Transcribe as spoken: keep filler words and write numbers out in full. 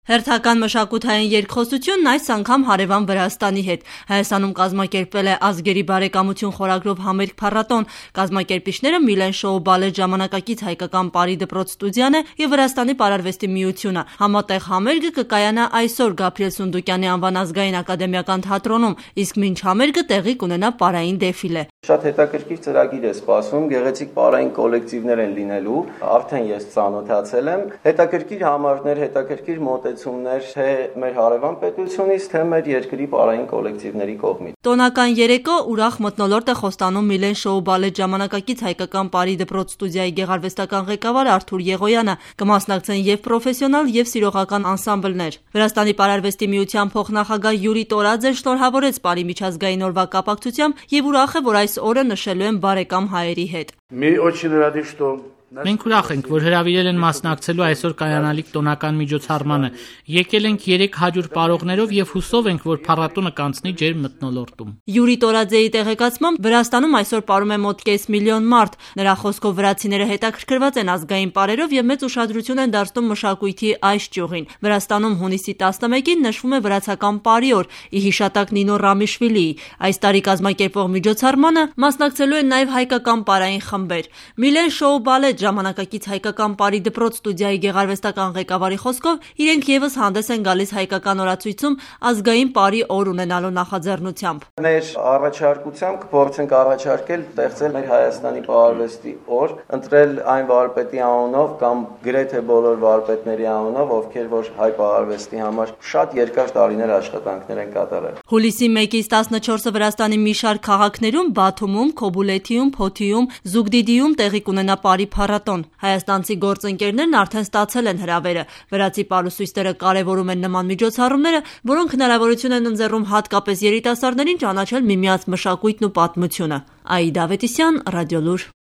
Հերթական մշակութային երկխոսությունն այս անգամ հարևան Վրաստանի հետ։ Հայաստանում կազմակերպվել է ազգերի բարեկամություն խորագրով համերգ փառատոն։ Կազմակերպիչները Միլեն շոու բալետ ժամանակակից հայկական պարի դպրոց ստուդիան է եւ Վրաստանի պարարվեստի միությունը։ Համատեղ համերգը կկայանա այսօր Գաբրիել Սունդուկյանի անվան ազգային ակադեմիական թատրոնում, իսկ մինչ համերգը տեղի կունենա պարային դեֆիլե։ Շատ հետաքրքիր ծրագիր է սպասվում, գեղեցիկ պարային կոլեկտիվներ են լինելու, արդեն ես ծանոթացել եմ, հետաքրքիր համարներ, հետաքրքիր մոտեցումներ թե մեր հարևան պետությունից, թե մեր երկրի պարային կոլեկտիվների կողմից։ Տոնական երեկո ուրախ մթնոլորտ է խոստանում Միլեն շոու բալետ ժամանակակից հայկական պարի դպրոց ստուդիայի գեղարվեստական ղեկավար Արթուր Եղոյանը, կմասնակցեն եւ պրոֆեսիոնալ եւ սիրողական անսամբլներ։ Վրաստանի պարարվեստի միության փոխնախագահ Յուրի Տորաձեն շնորհավորեց պարի միջազգային օրվա կապակցությամբ եւ ուրախ է, որ այս օրը նշելու են բարեկամ հայերի հետ։ Մենք ուրախ ենք, որ հրավիրել են մասնակցելու այսօր կայանալիք տոնական միջոցառմանը։ Եկել ենք երեք հաջող պարողներով եւ հուսով ենք, որ փառատոնը կանցնի ջերմ մթնոլորտում։ Յուրի Տորաձեի տեղեկացմամբ Վրաստանում այսօր պարում է մոտ կես միլիոն մարդ։ Նրա խոսքով վրացիները հետաքրքրված են ազգային պարերով եւ մեծ ուշադրություն են դարձնում մշակույթի այս ճյուղին։ Վրաստանում հունիսի տասնմեկին նշվում է վրացական պարի օր՝ ի հիշատակ Նինո Ռամիշվիլիի։ Այս տարի կազմակերպվող միջոցառմանը մասնակցելու են նաեւ հայկական պարային խմբեր։ Միլեն շոու բալետ ժամանակակից հայկական պարի դպրոց ստուդիայի գեղարվեստական ղեկավարի խոսքով իրենք եւս հանդես են գալիս հայկական օրացույցում ազգային պարի օր ունենալու նախաձեռնությամբ։ Մեր առաջարկությամբ կփորձենք առաջարկել ստեղծել մեր Հայաստանի պարարվեստի օր, ընտրել այն վարպետի անունով կամ գրեթե բոլոր վարպետների անունով, ովքեր որ հայ պարարվեստի համար շատ երկար տարիներ աշխատանքներ են կատարել։ Հուլիսի մեկից տասնչորսը Վրաստանի մի շարք քաղաքներում՝ Բաթումում, Քոբուլեթիում, Փոթիում, Զուգդիդիում տեղի կունենա պարի փառատոն։ Հայաստանցի գործընկերներն արդեն ստացել են հրավերը։ Վրացի պարուսույստերը կարևորում են նման միջոցառումները, որոնք հնարավորություն են ընձեռում հատկապես երիտասարդներին ճանաչել միմյանց մշակույթն ու պատմությունը։ Աիդա Ավետիսյան, Ռադիոլուր։